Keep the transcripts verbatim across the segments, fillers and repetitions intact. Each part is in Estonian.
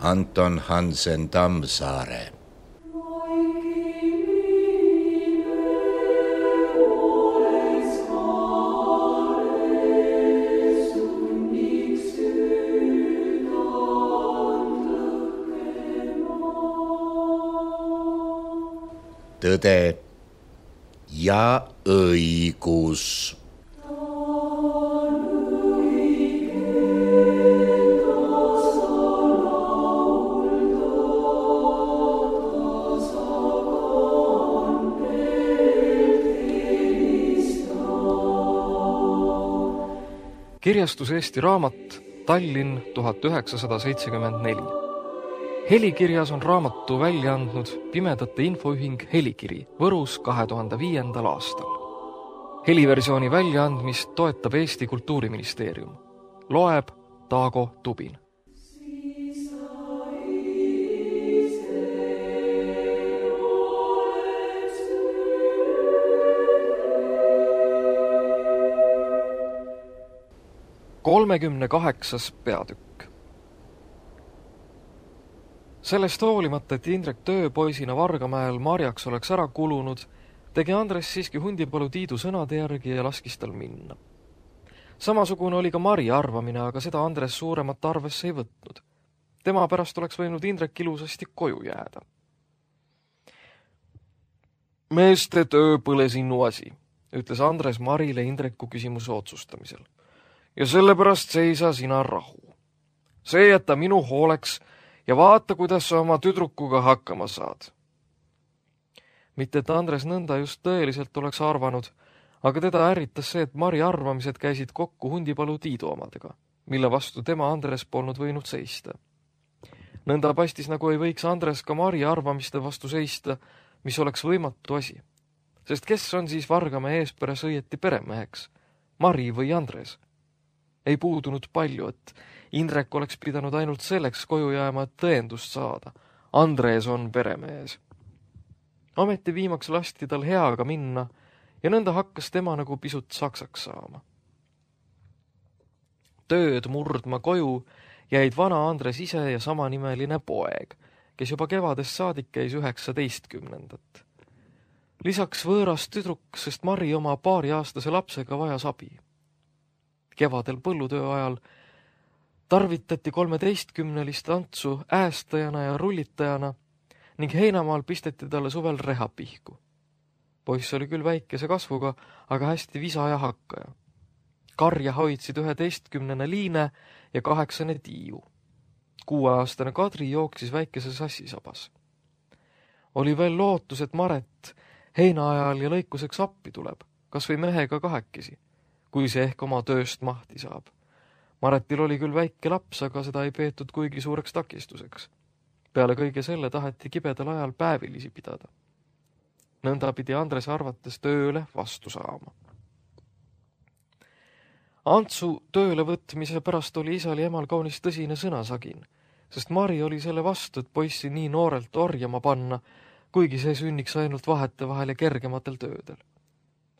Anton Hansen Tammsaare. Tõde ja õigus. Kirjastus Eesti Raamat, Tallinn tuhat üheksasada seitsekümmend neli. Helikirjas on raamatu välja andnud Pimedate Infoühing Helikiri Võrus kahe tuhande viiendal aastal. Heliversiooni väljaandmist toetab Eesti Kultuuriministeerium. Loeb Taago Tubin. kolmekümne kaheksas peatükk. Sellest hoolimata, et Indrek tööpoisina Vargamäel marjaks oleks ära kulunud, tegi Andres siiski Hundipalu Tiidu sõnade järgi ja laskis tal minna. Samasugune oli ka Mari arvamine, aga seda Andres suuremat arvesse ei võtnud. Tema pärast oleks võinud Indrek ilusasti koju jääda. Meeste töö põle sinu asi, ütles Andres Marile Indreku küsimuse otsustamisel. Ja sellepärast seisa sina rahu. See jätta minu hooleks ja vaata, kuidas sa oma tüdrukuga hakkama saad. Mitte, et Andres nõnda just tõeliselt oleks arvanud, aga teda ärritas see, et Mari arvamised käisid kokku Hundipalu Tiidu omadega, mille vastu tema Andres polnud võinud seista. Nõnda paistis, nagu ei võiks Andres ka Mari arvamiste vastu seista, mis oleks võimatu asi. Sest kes on siis Vargamäe eesperes õieti peremeheks? Mari või Andres? Ei puudunud palju, et Indrek oleks pidanud ainult selleks koju jääma, et tõendust saada. Andres on peremees. Ometi viimaks lasti tal heaga minna ja nõnda hakkas tema nagu pisut saksaks saama. Tööd murdma koju jäid vana Andres ise ja samanimeline poeg, kes juba kevadest saadik käis üheksateistkümnendat. Lisaks võõras tüdruk, sest Mari oma paariaastase lapsega vajas abi. Kevadel põllutöö ajal tarvitati kolmeteistkümnelist Antsu äästajana ja rullitajana ning heinamaal pisteti talle suvel rehapihku. Poiss oli küll väikese kasvuga, aga hästi visa ja hakkaja. Karja hoidsid üheteistkümnene Liine ja kaheksane Tiiu. Kuueaastane Kadri jooksis väikese sassisabas. Oli veel lootus, et Maret heina ajal ja lõikuseks appi tuleb, kas või mehega kahekesi, kui see ehk oma tööst mahti saab. Maretil oli küll väike laps, aga seda ei peetud kuigi suureks takistuseks. Peale kõige selle taheti kibedal ajal päevilisi pidada. Nõnda pidi Andres arvates tööle vastu saama. Antsu tööle võtmise pärast oli isal ja emal kaunis tõsine sõnasagin, sest Mari oli selle vastu, et poissi nii noorelt orjama panna, kuigi see sünniks ainult vahete vahel ja kergematel töödel.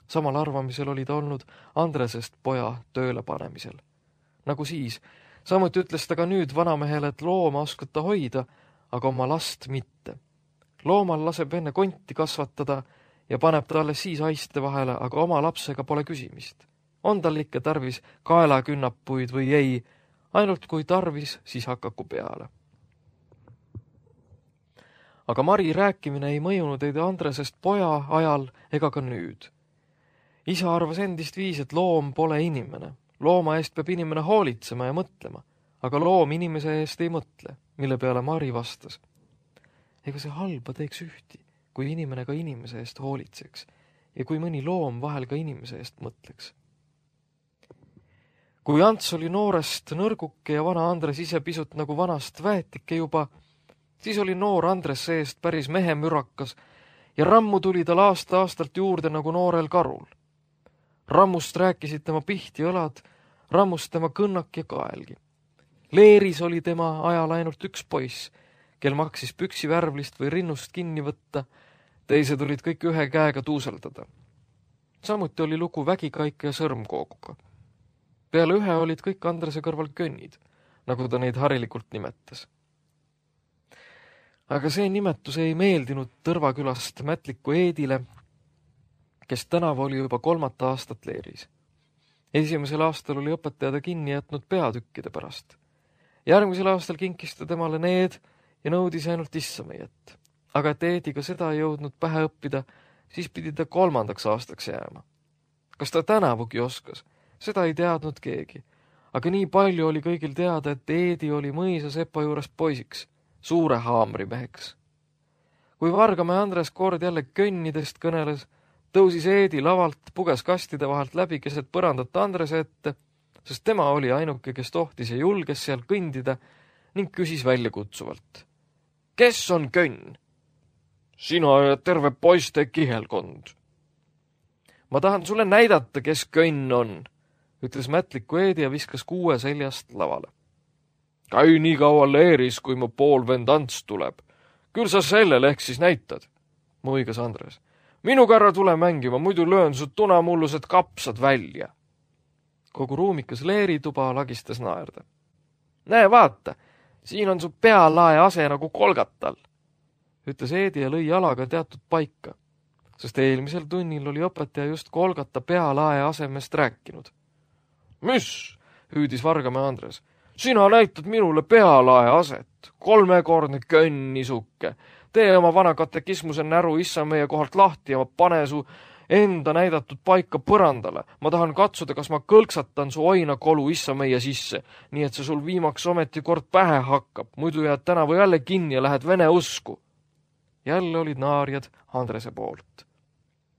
Samal arvamisel oli ta olnud Andresest poja tööle panemisel. Nagu siis, samuti ütles ta ka nüüd vanamehele, et looma oskab ta hoida, aga oma last mitte. Loomal laseb enne konti kasvatada ja paneb ta alles siis haiste vahele, aga oma lapsega pole küsimist. On tal ikka tarvis kaelakünnapuid või ei, ainult kui tarvis, siis hakaku peale. Aga Mari rääkimine ei mõjunud ei Andresest poja ajal ega ka nüüd. Isa arvas endist viis, et loom pole inimene. Looma eest peab inimene hoolitsema ja mõtlema, aga loom inimese eest ei mõtle, mille peale Mari vastas. Ega see halba teeks ühti, kui inimene ka inimese eest hoolitseks ja kui mõni loom vahel ka inimese eest mõtleks. Kui Ants oli noorest nõrguke ja vana Andres ise pisut nagu vanast väetike juba, siis oli noor Andres seest päris mehemürakas ja rammu tuli tal aasta-aastalt juurde nagu noorel karul. Rammust rääkisid tema pihti õlad, rammust tema kõnnak ja kaelgi. Leeris oli tema ajal ainult üks poiss, kel maksis püksi värvlist või rinnust kinni võtta, teised olid kõik ühe käega tuuseldada. Samuti oli lugu vägikaika ja sõrmkooguga. Peale ühe olid kõik Andrese kõrval könnid, nagu ta neid harilikult nimetas. Aga see nimetus ei meeldinud Tõrvakülast Mätliku Eedile, kes tänavu oli juba kolmat aastat leeris. Esimesel aastal oli õpetaja ta kinni jätnud peatükkide pärast. Järgmisel aastal kinkis ta temale need ja nõudis ainult Issameiet. Aga et Eediga seda ei jõudnud pähe õppida, siis pidi ta kolmandaks aastaks jääma. Kas ta tänavugi oskas? Seda ei teadnud keegi. Aga nii palju oli kõigil teada, et Eedi oli mõisa sepa juures poisiks, suure haamrimeheks. Kui Vargamäe Andres kord jälle könnidest kõneles, tõusis Eedi lavalt, puges kastide vahelt läbi keset põrandat Andrese ette, sest tema oli ainuke, kes tohtis ja julges seal kõndida ning küsis väljakutsuvalt. Kes on könn? Sina ja terve poiste kihelkond. Ma tahan sulle näidata, kes könn on, ütles Mätliku Eedi ja viskas kuue seljast lavale. Käi nii kaua leeris, kui mu poolvend Ants tuleb. Küll sa sellel ehk siis näitad, muigas Andres. Minuga ära tule mängima, muidu löön su tunamullused kapsad välja. Kogu ruumikas leerituba lagistas naerda. Näe, vaata, siin on su pealae ase nagu kolgatal, ütles Eedi ja lõi jalaga teatud paika, sest eelmisel tunnil oli õpetaja just kolgata pealae asemest rääkinud. Mis? Hüüdis Vargamäe Andres. Sina näitad minule pealae aset, kolmekordne könnisuke. Tee oma vana katekismuse näru issa meie kohalt lahti ja ma pane su enda näidatud paika põrandale. Ma tahan katsuda, kas ma kõlksatan su oinakolu issa meie sisse, nii et see sul viimaks ometi kord pähe hakkab. Muidu jääd tänavu jälle kinni ja lähed vene usku. Jälle olid naarjad Andrese poolt.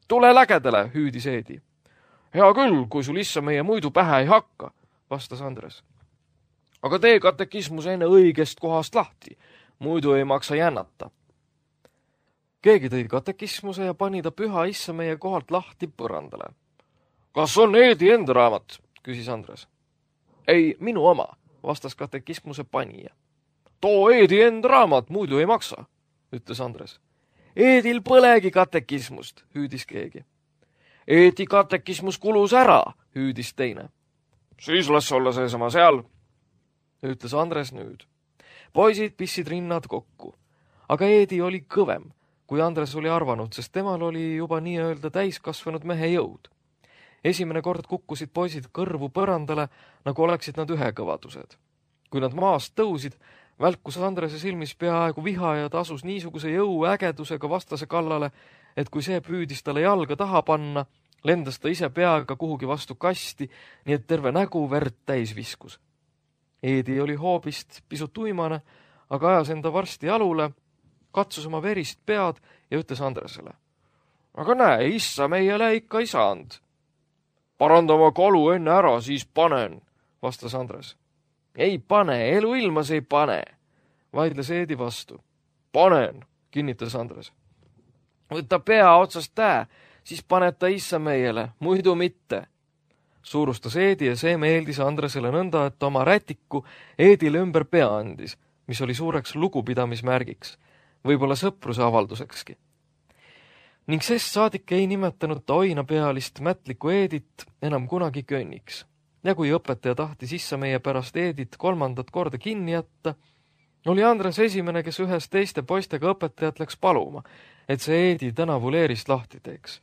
Tule lägedale, hüüdis Eedi. Hea küll, kui sul issa meie muidu pähe ei hakka, vastas Andres. Aga tee katekismus enne õigest kohast lahti, muidu ei maksa jännata. Keegi tõi katekismuse ja pani ta püha issa meie kohalt lahti põrandale. Kas on Eedi enda raamat, küsis Andres. Ei, minu oma, vastas katekismuse panija. Too Eedi enda raamat, muidu ei maksa, ütles Andres. Eedil põlegi katekismust, hüüdis keegi. Eedi katekismus kulus ära, hüüdis teine. Siis las olla seesama seal, ütles Andres nüüd. Poisid pissid rinnad kokku, aga Eedi oli kõvem, kui Andres oli arvanud, sest temal oli juba nii-öelda täiskasvanud mehe jõud. Esimene kord kukkusid poisid kõrvu põrandale, nagu oleksid nad ühekõvadused. Kui nad maast tõusid, välkus Andrese silmis peaaegu viha ja ta asus niisuguse jõu ägedusega vastase kallale, et kui see püüdis talle jalga taha panna, lendas ta ise peaga kuhugi vastu kasti, nii et terve nägu verd täis viskus. Eedi oli hoobist pisut uimane, aga ajas enda varsti jalule, katsus oma verist pead ja ütles Andresele. Aga näe, issa meiele ikka ei saanud. Paranda oma kolu enne ära, siis panen, vastas Andres. Ei pane, elu ilmas ei pane, vaidles Eedi vastu. Panen, kinnitas Andres. Võta pea otsast tää, siis paneta issa meiele, muidu mitte. Suurustas Eedi ja see meeldis Andresele nõnda, et oma rätiku Eedile ümber pea andis, mis oli suureks lugupidamismärgiks, võib-olla sõpruse avaldusekski. Ning sest saadik ei nimetanud ta oinapealist Mätliku Eedit enam kunagi könniks. Ja kui õpetaja tahtis issa meie pärast Eedit kolmandat korda kinni jätta, oli Andres esimene, kes ühes teiste poistega õpetajat läks paluma, et see Eedi tänavu leerist lahti teeks.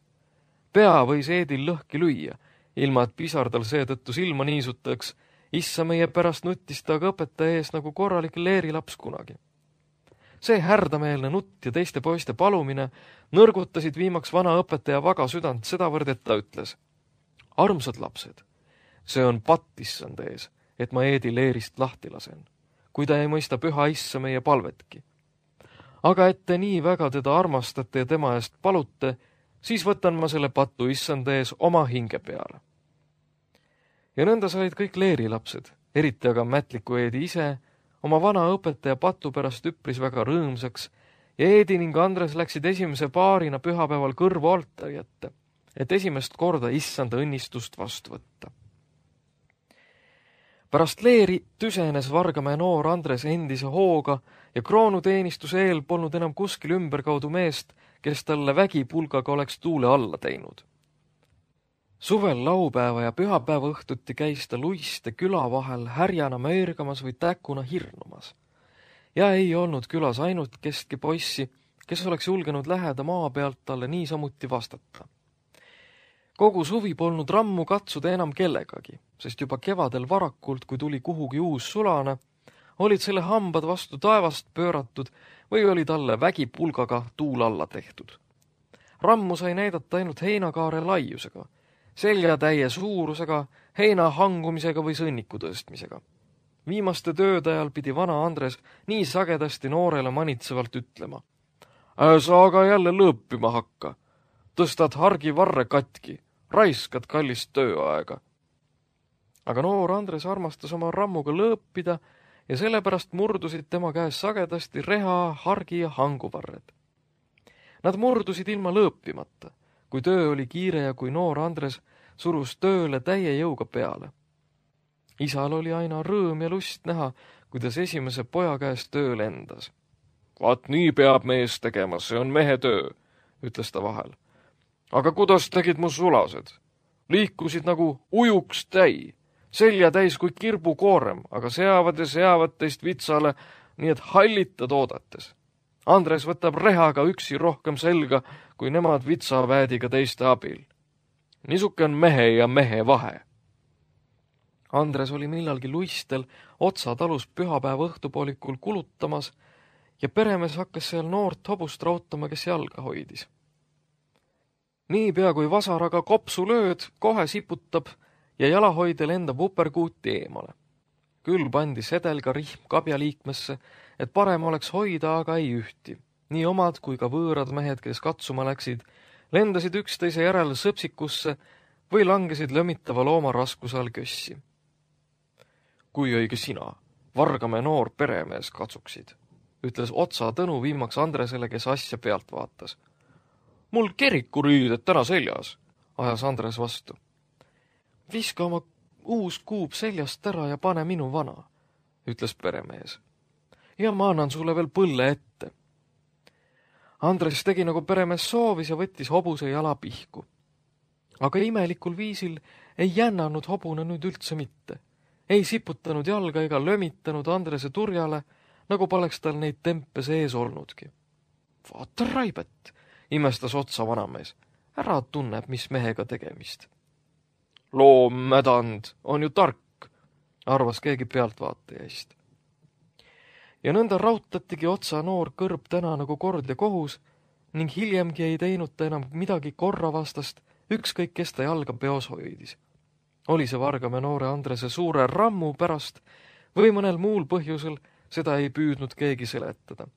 Pea võis Eedil lõhki lüüa, ilma et pisar tal seetõttu silma niisutaks, issa meie pärast nuttis ta aga õpetaja ees nagu korralik leerilaps kunagi. See härdameelne nutt ja teiste poiste palumine nõrgutasid viimaks vana õpetaja vaga südant sedavõrd, et ta ütles. Armsad lapsed, see on patt issand ees, et ma Eedi leerist lahti lasen, kui ta ei mõista püha issa meie palvetki. Aga et te nii väga teda armastate ja tema eest palute, siis võtan ma selle patu issand ees oma hinge peale. Ja nõnda said kõik leerilapsed, eriti aga Mätliku Eedi ise, oma vana õpetaja patu pärast üpris väga rõõmsaks ja Eedi ning Andres läksid esimese paarina pühapäeval kõrvu altari ette, et esimest korda issanda õnnistust vastu võtta. Pärast leeri tüsenes Vargamäe noor Andres endise hooga ja kroonuteenistuse eel polnud enam kuskil ümberkaudu meest, kes talle vägipulgaga oleks tuule alla teinud. Suvel laupäeva ja pühapäeva õhtuti käis ta luiste küla vahel härjana möörgamas või täkuna hirnumas. ja ei olnud külas ainult kestki poissi, kes oleks julgenud läheda maa pealt talle niisamuti vastata. Kogu suvi polnud Rammu katsuda enam kellegagi, sest juba kevadel varakult, kui tuli kuhugi uus sulane, olid selle hambad vastu taevast pööratud või oli talle vägipulgaga tuul alla tehtud. Rammu sai näidata ainult heinakaare laiusega, seljatäie suurusega, heina hangumisega või sõnniku tõstmisega. Viimaste tööde ajal pidi vana Andres nii sagedasti noorele manitsevalt ütlema: "Sa aga jälle lõõpima hakka. Tõstad hargi varre katki, raiskad kallist tööaega." Aga noor Andres armastas oma Rammuga lõõpida ja sellepärast murdusid tema käes sagedasti reha, hargi ja hanguvarred. Nad murdusid ilma lõõpimata, kui töö oli kiire ja kui noor Andres surus tööle täie jõuga peale. Isal oli aina rõõm ja lust näha, kuidas esimese poja käest töö lendas. "Vaat nii peab mees tegema, see on mehe töö," ütles ta vahel. "Aga kuidas tegid mu sulased? Liikusid nagu ujuks täi, selja täis kui kirbukoorem, aga seavad ja seavad teist vitsale, nii et hallitad oodates. Andres võtab rehaga üksi rohkem selga, kui nemad vitsaväädiga teiste abil. Niisuke on mehe ja mehe vahe." Andres oli millalgi luistel Otsa talus pühapäeva õhtupoolikul kulutamas ja peremees hakkas seal noort hobust rautama, kes jalga hoidis. Niipea kui vasaraga kopsu lööd, kohe siputab ja jalahoidja lendab uperkuuti eemale. Küll pandi sedel ka rihm kabja liikmesse, et parem oleks hoida, aga ei ühti. Nii omad kui ka võõrad mehed, kes katsuma läksid, lendasid üksteise järel sõpsikusse või langesid lömitava looma raskuse all kössi. "Kui õige sina, vargame noor peremees katsuksid," ütles Otsa Tõnu viimaks Andresele, kes asja pealt vaatas. "Mul kerikuriided täna seljas," ajas Andres vastu. "Viska oma uus kuub seljast ära ja pane minu vana," ütles peremees. "Ja ma annan sulle veel põlle ette." Andres tegi nagu peremees soovis ja võttis hobuse jala pihku. Aga imelikul viisil ei jännanud hobune nüüd üldse mitte. Ei siputanud jalga ega lömitanud Andrese turjale, nagu poleks tal neid tempe sees olnudki. "Vaata raibet," imestas Otsa vanamees. "Ära tunneb, mis mehega tegemist." "Loommädand on ju tark," arvas keegi pealtvaatajaist. Ja nõnda rautatigi Otsa noor kõrb täna nagu kord ja kohus ning hiljemgi ei teinud ta enam midagi korravastast, ükskõik kes ta jalga peos hoidis. Oli see Vargamäe noore Andrese suure Rammu pärast või mõnel muul põhjusel, seda ei püüdnud keegi seletada.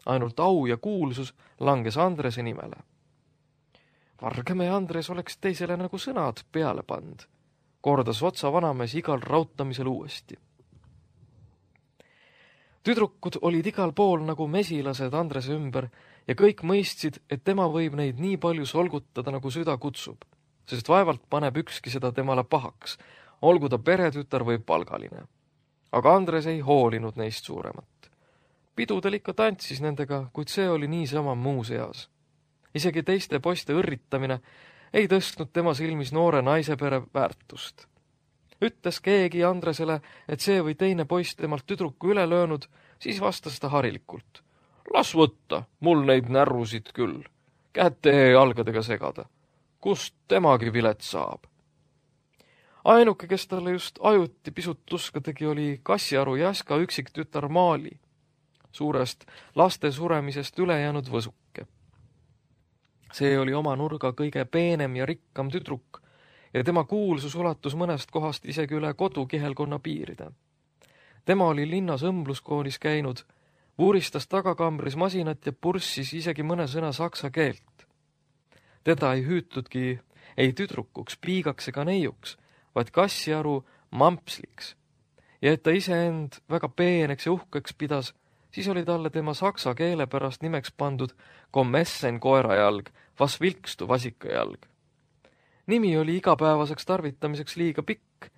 Ainult au ja kuulsus langes Andrese nimele. Vargamäe Andres oleks teisele nagu sõnad peale pand, kordas Otsa vanamees igal rautamisel uuesti. Tüdrukud olid igal pool nagu mesilased Andrese ümber ja kõik mõistsid, et tema võib neid nii palju solgutada, nagu süda kutsub, sest vaevalt paneb ükski seda temale pahaks, olgu ta peretütar või palgaline. Aga Andres ei hoolinud neist suuremat. Pidudel ikka tantsis nendega, kuid see oli niisama muu seas. Isegi teiste poiste õrritamine ei tõstnud tema silmis noore naisepere väärtust. Ütles keegi Andresele, et see või teine poiss temalt tüdruku üle löönud, siis vastas ta harilikult. "Las võtta, mul neid närrusid küll. Käte ja jalgadega segada. Kust temagi vilet saab?" Ainuke, kes talle just ajuti pisut tuska tegi, oli Kassiaru Jaska üksik tütar Maali, suurest laste suremisest üle jäänud võsuke. See oli oma nurga kõige peenem ja rikkam tüdruk ja tema kuulsus ulatus mõnest kohast isegi üle kodukihelkonna piiride. Tema oli linnas õmbluskoolis käinud, vuuristas tagakambris masinat ja purssis isegi mõne sõna saksa keelt. Teda ei hüütudki ei tüdrukuks, piigaks ega neiuks, vaid Kassiaru mampsliks. Ja et ta iseend väga peeneks ja uhkeks pidas, siis oli talle tema saksa keele pärast nimeks pandud Kommessen koerajalg, vas vilkstu vasikajalg. Nimi oli igapäevaseks tarvitamiseks liiga pikk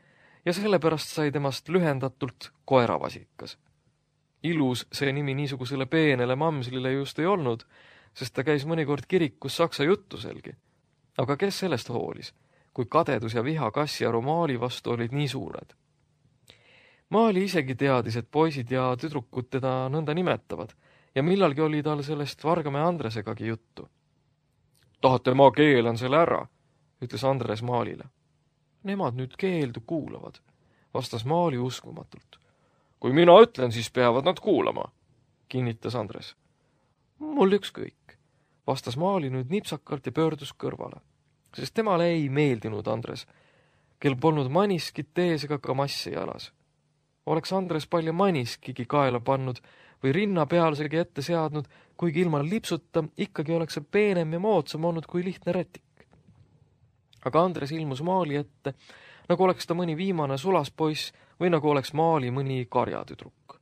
ja sellepärast sai temast lühendatult koeravasikas. Ilus see nimi niisugusele peenele mamslile just ei olnud, sest ta käis mõnikord kirikus saksa juttuselgi. Aga kes sellest hoolis, kui kadedus ja viha Kassiaru Maali vastu olid nii suured? Maali isegi teadis, et poisid ja tüdrukud teda nõnda nimetavad ja millalgi oli tal sellest Vargamäe Andresegagi juttu. Tahate, ma keelan selle ära, ütles Andres Maalile. Nemad nüüd keeldu kuulavad, vastas Maali uskumatult. Kui mina ütlen, siis peavad nad kuulama, kinnitas Andres. Mul ükskõik, vastas Maali nüüd nipsakalt ja pöördus kõrvale, sest temale ei meeldinud Andres, kel polnud maniskit ees ega ka massi jalas. Oleks Andres palju maniskigi kaela pannud või rinna pealsegi ette seadnud, kuigi ilma lipsuta ikkagi oleks see peenem ja moodsam olnud kui lihtne rätik. Aga Andres ilmus Maali ette, nagu oleks ta mõni viimane sulaspoiss või nagu oleks Maali mõni karjatüdruk.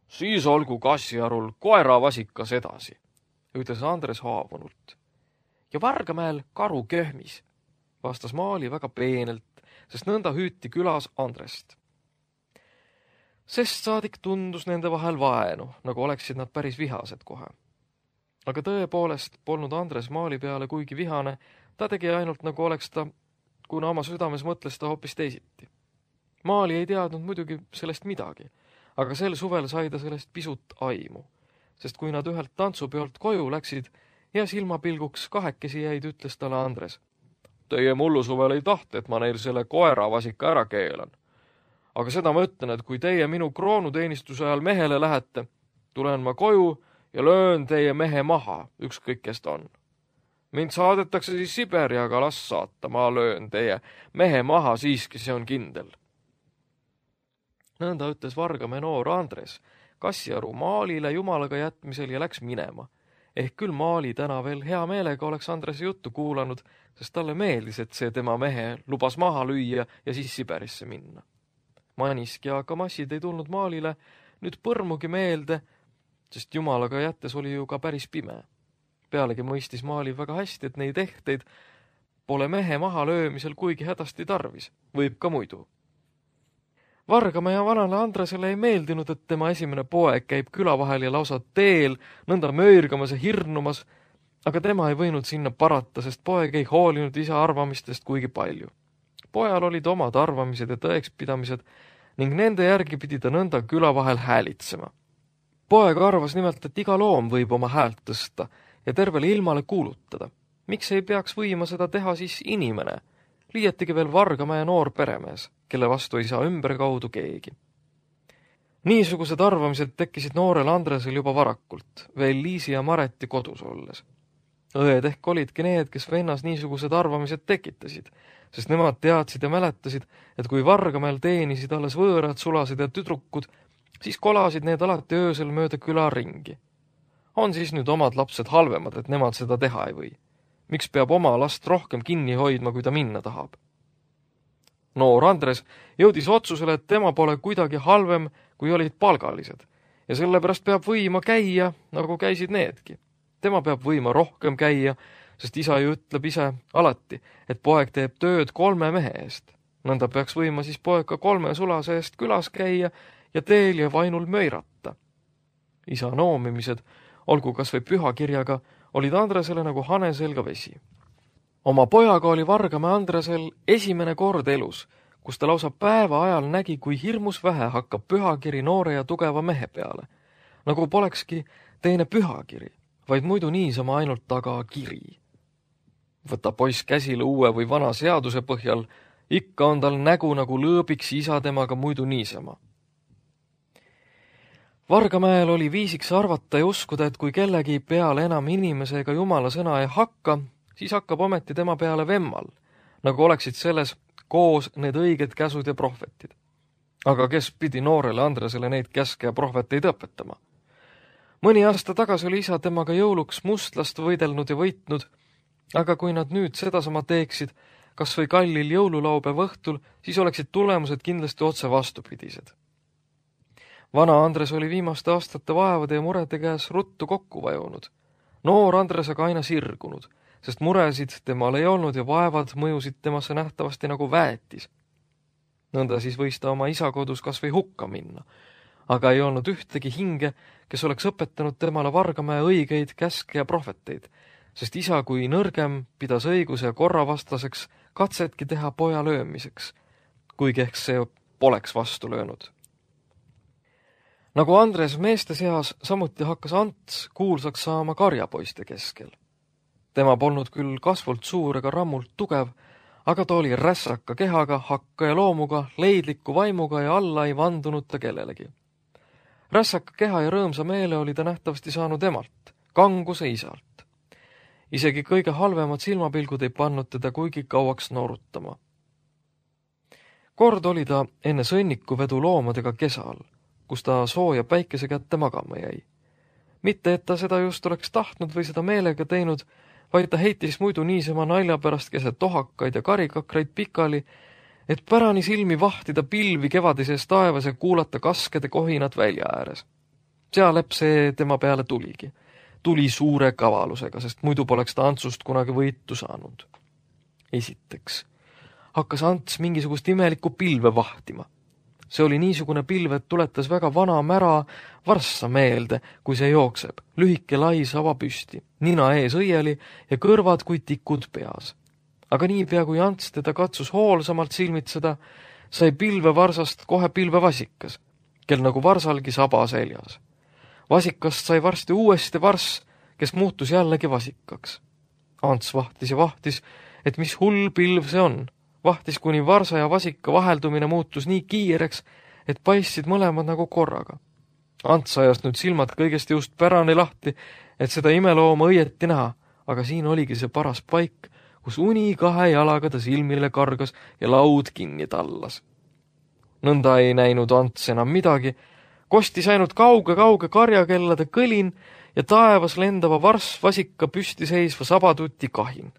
Siis olgu Kassiarul koeravasikas edasi, ütles Andres haavunult. Ja Vargamäel karu köhmis, vastas Maali väga peenelt, sest nõnda hüüti külas Andrest. Sest saadik tundus nende vahel vaenu, nagu oleksid nad päris vihased kohe. Aga tõepoolest polnud Andres Maali peale kuigi vihane, ta tegi ainult nagu oleks ta, kuna oma südames mõtles ta hoopis teisiti. Maali ei teadnud muidugi sellest midagi, aga sel suvel sai ta sellest pisut aimu, sest kui nad ühelt tantsupeolt koju läksid ja silmapilguks kahekesi jäid, ütles talle Andres. Teie mullu suvel ei tahte, et ma neil selle koeravasika ära keelan. Aga seda ma ütlen, et kui teie minu kroonuteenistuse ajal mehele lähete, tulen ma koju ja löön teie mehe maha, ükskõik kes ta on. Mind saadetakse siis Siberi, aga las saata, ma löön teie mehe maha siiski, see on kindel. Nõnda ütles Vargamäe noor Andres Kassiaru Maalile jumalaga jätmisel ja läks minema. Ehk küll Maali täna veel hea meelega oleks Andrese juttu kuulanud, sest talle meeldis, et see tema mehe lubas maha lüüa ja siis Siberisse minna. Manisk ja kamassid ei tulnud Maalile nüüd põrmugi meelde, sest jumalaga jättes oli ju ka päris pime. Pealegi mõistis Maali väga hästi, et neid ehteid pole mehe maha löömisel kuigi hädasti tarvis, võib ka muidu. Vargamäe vanale Andresele ei meeldinud, et tema esimene poeg käib küla vahel ja lausa teel, nõnda möörgamas ja hirnumas, aga tema ei võinud sinna parata, sest poeg ei hoolinud isa arvamistest kuigi palju. Pojal olid omad arvamised ja tõekspidamised ning nende järgi pidi ta nõnda küla vahel häälitsema. Poeg arvas nimelt, et iga loom võib oma häält tõsta ja tervele ilmale kuulutada. Miks ei peaks võima seda teha siis inimene? Liietigi veel Vargamäe noor peremees, kelle vastu ei saa ümber kaudu keegi. Niisugused arvamised tekkisid noorel Andresel juba varakult, veel Liisi ja Mareti kodus olles. Õed ehk olidki need, kes vennas niisugused arvamised tekitasid, sest nemad teadsid ja mäletasid, et kui Vargamäel teenisid alles võõrad sulased ja tüdrukud, siis kolasid need alati öösel mööda küla ringi. On siis nüüd omad lapsed halvemad, et nemad seda teha ei või? Miks peab oma last rohkem kinni hoidma, kui ta minna tahab? Noor Andres jõudis otsusele, et tema pole kuidagi halvem, kui olid palgalised, ja sellepärast peab võima käia, nagu käisid needki. Tema peab võima rohkem käia, sest isa ju ütleb ise alati, et poeg teeb tööd kolme mehe eest. Nõnda peaks võima siis poeg ka kolme sulase eest külas käia ja teel ja vainul möirata. Isa noomimised, olgu kas või pühakirjaga, olid Andresele nagu hane selga vesi. Oma pojaga oli Vargamäe Andresel esimene kord elus, kus ta lausa päeva ajal nägi, kui hirmus vähe hakkab pühakiri noore ja tugeva mehe peale. Nagu polekski teine pühakiri, vaid muidu niisama ainult taga kiri. Võta poiss käsile uue või vana seaduse põhjal, ikka on tal nägu nagu lõõbiks isa temaga muidu niisama. Vargamäel oli viisiks arvata ja uskuda, et kui kellegi peale enam inimesega jumala sõna ei hakka, siis hakkab ometi tema peale vemmal, nagu oleksid selles koos need õiged käsud ja prohvetid. Aga kes pidi noorele Andresele neid käske ja prohveteid õpetama? Mõni aasta tagasi oli isa temaga jõuluks mustlast võidelnud ja võitnud, aga kui nad nüüd sedasama teeksid, kas või kallil jõululaupäeva õhtul, siis oleksid tulemused kindlasti otse vastupidised. Vana Andres oli viimaste aastate vaevade ja murede käes ruttu kokku vajunud. Noor Andres aga aina sirgunud, sest muresid temal ei olnud ja vaevad mõjusid temasse nähtavasti nagu väetis. Nõnda siis võis ta oma isa kodus kas või hukka minna, aga ei olnud ühtegi hinge, kes oleks õpetanud temale Vargamäe õigeid käske ja prohveteid, sest isa kui nõrgem pidas õiguse ja korra vastaseks katsetki teha poja löömiseks, kuigi ehk see poleks vastu löönud Nagu Andres meeste seas, samuti hakkas Ants kuulsaks saama karjapoiste keskel. Tema polnud küll kasvult suur ega rammult tugev, aga ta oli rässaka kehaga, hakka ja loomuga, leidliku vaimuga ja alla ei vandunud ta kellelegi. Rässaka keha ja rõõmsa meele oli ta nähtavasti saanud emalt, kanguse isalt. Isegi kõige halvemad silmapilgud ei pannud teda kuigi kauaks noorutama. Kord oli ta enne sõnniku vedu loomadega kesal, kus ta sooja päikese kätte magama jäi. Mitte, et ta seda just oleks tahtnud või seda meelega teinud, vaid ta heitis muidu niisama nalja pärast keset tohakaid ja karikakraid pikali, et pärani silmi vahtida pilvi kevadises taevas ja kuulata kaskede kohinat välja ääres. Sealep see tema peale tuligi. Tuli suure kavalusega, sest muidu poleks ta Antsust kunagi võitu saanud. Esiteks hakkas Ants mingisugust imelikku pilve vahtima. See oli niisugune pilv, et tuletas väga vana mära varssa meelde, kui see jookseb, lühike lai sava püsti, nina ees õieli ja kõrvad kui tikud peas. Aga niipea, kui Ants teda katsus hoolsamalt silmitseda, sai pilve varsast kohe pilve vasikas, kel nagu varsalgi saba seljas. Vasikast sai varsti uuesti varss, kes muutus jällegi vasikaks. Ants vahtis ja vahtis, et mis hull pilv see on. Vahtis, kuni varsa ja vasika vaheldumine muutus nii kiireks, et paistsid mõlemad nagu korraga. Ants ajas nüüd silmad kõigest just pärane lahti, et seda imelooma õieti näha, aga siin oligi see paras paik, kus uni kahe jalaga ta silmile kargas ja laud kinni tallas. Nõnda ei näinud Ants enam midagi, kostis ainult kauge-kauge karjakellade kõlin ja taevas lendava varss vasika püsti seisva sabatuti kahin.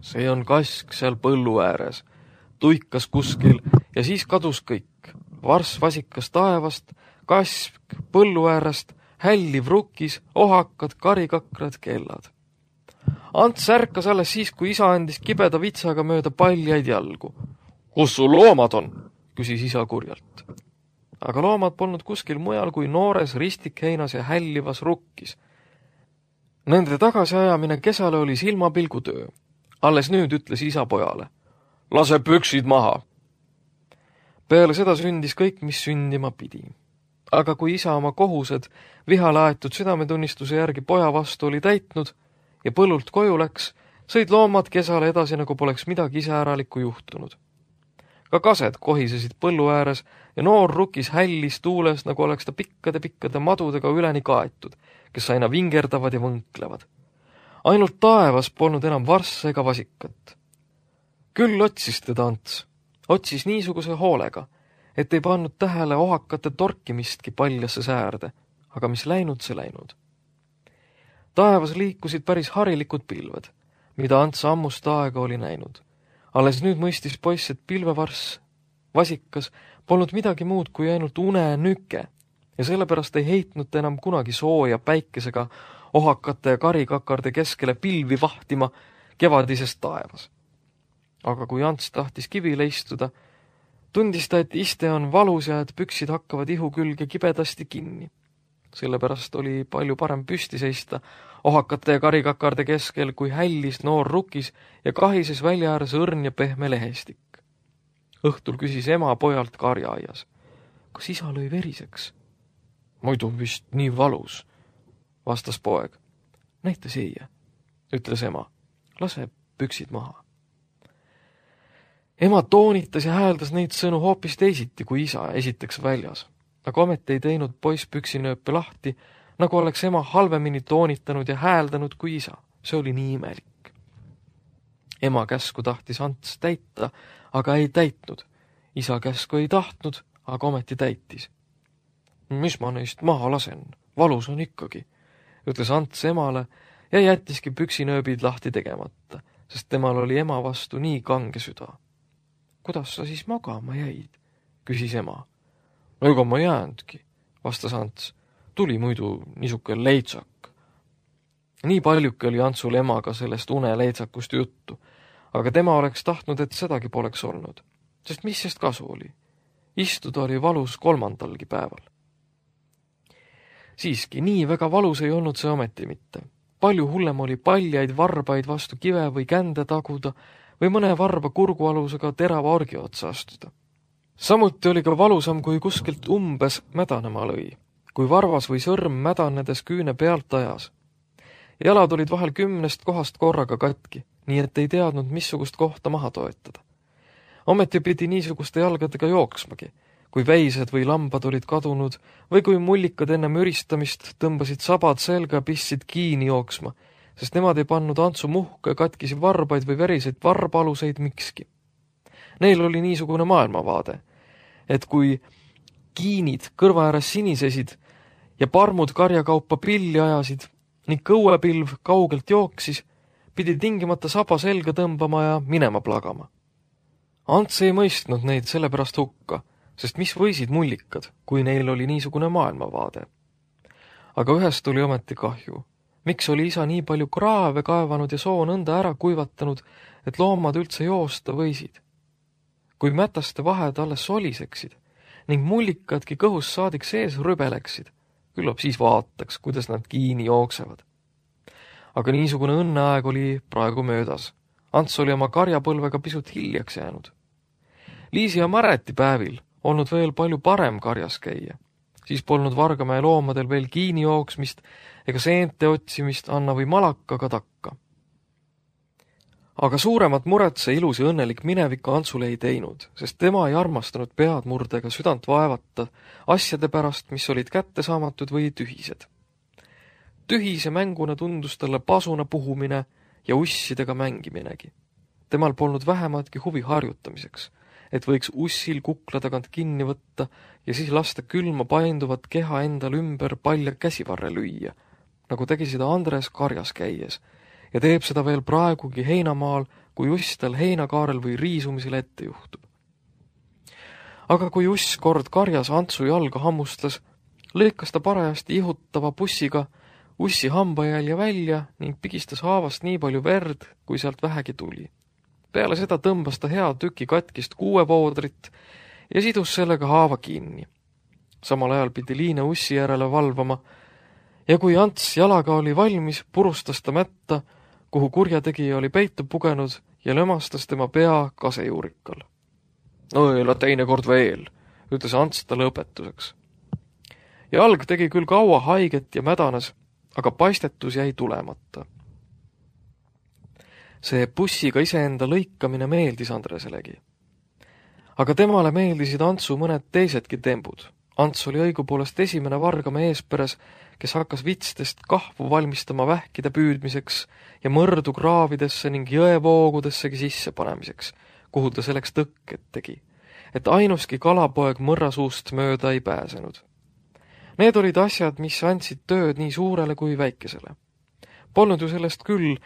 See on kask seal põllu ääres, tuikas kuskil ja siis kadus kõik. Varss vasikas taevast, kask põllu äärest, hälliv rukkis, ohakad, karikakrad, kellad. Ants ärkas alles siis, kui isa andis kibeda vitsaga mööda paljaid jalgu. Kus sul loomad on? Küsis isa kurjalt. Aga loomad polnud kuskil mujal kui noores ristikheinas ja hällivas rukkis. Nende tagasiajamine kesale oli silmapilgutöö. Alles nüüd ütles isa pojale. Lase püksid maha. Peale seda sündis kõik, mis sündima pidi. Aga kui isa oma kohused vihale aetud südametunnistuse järgi poja vastu oli täitnud ja põllult koju läks, sõid loomad kesale edasi, nagu poleks midagi iseäralikku juhtunud. Ka kased kohisesid põllu ääres ja noor rukis hällis tuules, nagu oleks ta pikkade-pikkade madudega üleni kaetud, kes aina vingerdavad ja võnklevad. Ainult taevas polnud enam varssa ega vasikat. Küll otsis teda Ants. Otsis niisuguse hoolega, et ei pannud tähele ohakate torkimistki paljasse säärde, aga mis läinud, see läinud. Taevas liikusid päris harilikud pilved, mida Ants ammust aega oli näinud. Alles nüüd mõistis poiss, et pilvevarss, vasikas, polnud midagi muud kui ainult une nüke ja sellepärast ei heitnud ta enam kunagi sooja päikesega ohakate ja karikakarde keskele pilvi vahtima kevadisest taevas. Aga kui Ants tahtis kivile istuda, tundis ta, et iste on valus ja et püksid hakkavad ihu külge kibedasti kinni. Sellepärast oli palju parem püsti seista ohakate ja karikakarde keskel, kui hällis noor rukis ja kahises välja ääres õrn ja pehme lehestik. Õhtul küsis ema pojalt karjaaias. Kas isa lõi veriseks? Muidu vist nii valus, vastas poeg. Näita siia, ütles ema. Lase püksid maha. Ema toonitas ja hääldas neid sõnu hoopis teisiti kui isa esiteks väljas. Aga ometi ei teinud poiss püksinööpe lahti, nagu oleks ema halvemini toonitanud ja hääldanud kui isa. See oli nii imelik. Ema käsku tahtis Ants täita, aga ei täitnud. Isa käsku ei tahtnud, aga ometi täitis. Mis ma neist maha lasen? Valus on ikkagi, ütles Ants emale ja jättiski püksinööbid lahti tegemata, sest temal oli ema vastu nii kange süda. Kuidas sa siis magama jäid? Küsis ema. Ega ma jäänudki, vastas Ants. Tuli muidu niisuke leitsak. Nii paljuke oli Antsul emaga sellest une leitsakust juttu, aga tema oleks tahtnud, et sedagi poleks olnud, sest mis sest kasu oli? Istuda oli valus kolmandalgi päeval. Siiski, nii väga valus ei olnud see ometi mitte. Palju hullem oli paljaid varbaid vastu kive või kände taguda või mõne varba kurgualusega terava orgi otsa astuda. Samuti oli ka valusam, kui kuskilt umbes mädanema lõi, kui varvas või sõrm mädanedes küüne pealt ajas. Jalad olid vahel kümnest kohast korraga katki, nii et ei teadnud, missugust kohta maha toetada. Ometi pidi niisuguste jalgadega jooksmagi, kui väised või lambad olid kadunud või kui mullikad enne müristamist tõmbasid sabad selga ja pistsid kiini jooksma, sest nemad ei pannud Antsu muhka, katkisi varbaid või veriseid varbaluseid mikski. Neil oli niisugune maailmavaade, et kui kiinid kõrva ääres sinisesid ja parmud karjakaupa pilli ajasid ning kõuepilv kaugelt jooksis, pidi tingimata saba selga tõmbama ja minema plagama. Ants ei mõistnud neid sellepärast hukka, sest mis võisid mullikad, kui neil oli niisugune maailmavaade. Aga ühest tuli ometi kahju. Miks oli isa nii palju kraave kaevanud ja soo nõnda ära kuivatanud, et loomad üldse joosta võisid? Kui mätaste vahed alles soliseksid ning mullikadki kõhus saadik sees rübeleksid, küllap siis vaataks, kuidas nad kiini jooksevad. Aga niisugune õnneaeg oli praegu möödas. Ants oli oma karjapõlvega pisut hiljaks jäänud. Liisi ja Mareti päevil olnud veel palju parem karjas käia. Siis polnud Vargamäe loomadel veel kiini jooksmist ega seente otsimist Anna või Malakaga takka. Aga suuremat muret see ilus ja õnnelik minevik Antsule ei teinud, sest tema ei armastanud pead murdega südant vaevata asjade pärast, mis olid kättesaamatud või tühised. Tühise mänguna tundus talle pasuna puhumine ja ussidega mängiminegi. Temal polnud vähematki huvi harjutamiseks, et võiks ussil kukla tagant kinni võtta ja siis lasta külma painduvat keha endal ümber palja käsivarre lüüa, nagu tegi seda Andres karjas käies, ja teeb seda veel praegugi heinamaal, kui uss tal heinakaarel või riisumisel ette juhtub. Aga kui uss kord karjas Antsu jalga hammustas, lõikas ta parajasti ihutava pussiga ussi hambajälje välja ning pigistas haavast nii palju verd, kui sealt vähegi tuli. Peale seda tõmbas ta hea tüki katkist kuuevoodrit ja sidus sellega haava kinni. Samal ajal pidi Liine ussi järele valvama ja kui Ants jalaga oli valmis, purustas ta mätta, kuhu kurjategija oli peitu pugenud ja lömastas tema pea kasejuurikal. Õela teinekord veel, ütles Ants talle õpetuseks. Jalg tegi küll kaua haiget ja mädanes, aga paistetus jäi tulemata. See bussiga iseenda lõikamine meeldis Andreselegi. Aga temale meeldisid Antsu mõned teisedki tembud. Ants oli õigupoolest esimene Vargamäe eesperes, kes hakkas vitstest kahvu valmistama vähkide püüdmiseks ja mõrdu kraavidesse ning jõevoogudessegi sisse panemiseks, kuhu ta selleks tõkked tegi, et ainuski kalapoeg mõrrasuust mööda ei pääsenud. Need olid asjad, mis andsid tööd nii suurele kui väikesele. Polnud ju sellest küll,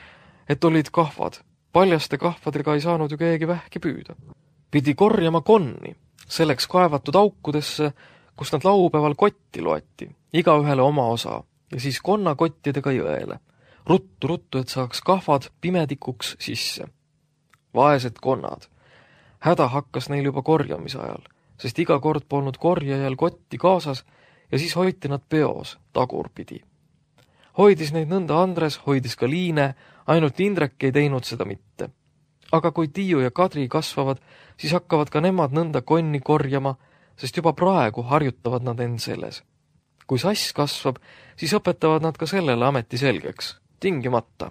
et olid kahvad. Paljaste kahvadega ei saanud ju keegi vähki püüda. Pidi korjama konni, selleks kaevatud aukudesse, kus nad laupäeval kotti loeti, igaühele oma osa, ja siis konnakottidega jõele. Ruttu, ruttu, et saaks kahvad pimedikuks sisse. Vaesed konnad. Häda hakkas neil juba korjamise ajal, sest iga kord polnud korjajal kotti kaasas ja siis hoiti nad peos tagurpidi. Hoidis neid nõnda Andres, hoidis ka Liine, ainult Indrek ei teinud seda mitte. Aga kui Tiiu ja Kadri kasvavad, siis hakkavad ka nemad nõnda konni korjama, sest juba praegu harjutavad nad end selles. Kui sass kasvab, siis õpetavad nad ka sellele ameti selgeks, tingimata.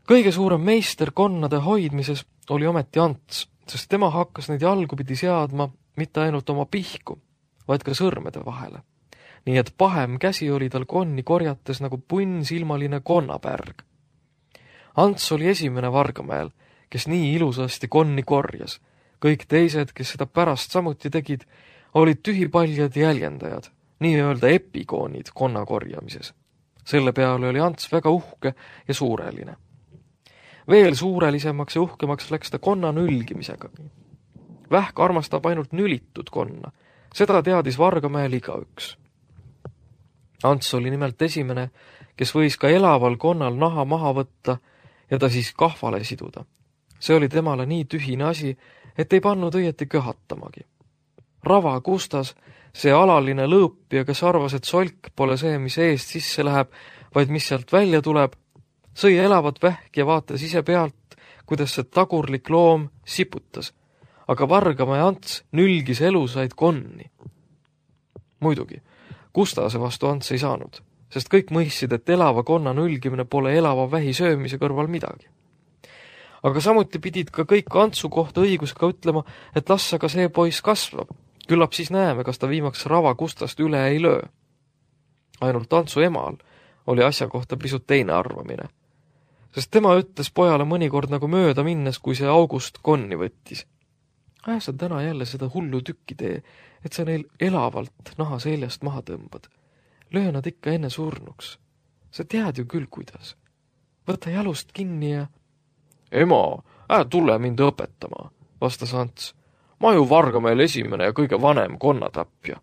Kõige suurem meister konnade hoidmises oli ometi Ants, sest tema hakkas neid jalgupidi seadma mitte ainult oma pihku, vaid ka sõrmede vahele. Nii et pahem käsi oli tal konni korjates nagu punnsilmaline konnapärg. Ants oli esimene Vargamäel, kes nii ilusasti konni korjas. Kõik teised, kes seda pärast samuti tegid, olid tühipaljad jäljendajad, nii-öelda epikoonid konna korjamises. Selle peale oli Ants väga uhke ja suureline. Veel suurelisemaks ja uhkemaks läks ta konna nülgimisega. Vähk armastab ainult nülitud konna. Seda teadis Vargamäel igaüks. Ants oli nimelt esimene, kes võis ka elaval konnal naha maha võtta ja ta siis kahvale siduda. See oli temale nii tühine asi, et ei pannud õieti köhatamagi. Rava Kustas, see alaline lõõpija, kes arvas, et solk pole see, mis eest sisse läheb, vaid mis sealt välja tuleb, sõi elavat vähk ja vaatas ise pealt, kuidas see tagurlik loom siputas. aga Vargamäe Ants nülgis elusaid konni. Muidugi, Kustase vastu Ants ei saanud, sest kõik mõistsid, et elava konna nülgimine pole elava vähi söömise kõrval midagi. Aga samuti pidid ka kõik Antsu kohta õigusega ütlema, et las aga see poiss kasvab. Küllap siis näeme, kas ta viimaks rava Kustast üle ei löö. Ainult Antsu emal oli asja kohta pisut teine arvamine, sest tema ütles pojale mõnikord nagu mööda minnes, kui see August konni võttis. Aja sa täna jälle seda hullu tükki tee, et sa neil elavalt naha seljast maha tõmbad. Löö nad ikka enne surnuks. Sa tead ju küll, kuidas. Võta jalust kinni ja... Ema, ää tule mind õpetama, vastas Ants. Ma ju Vargamäel esimene ja kõige vanem konnatapja.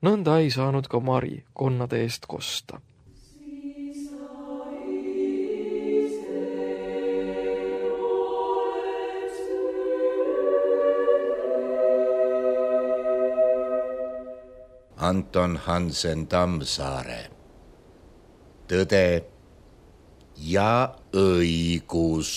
Nõnda ei saanud ka Mari konnade eest kosta. Anton Hansen Tammsaare. Tõde ja õigus.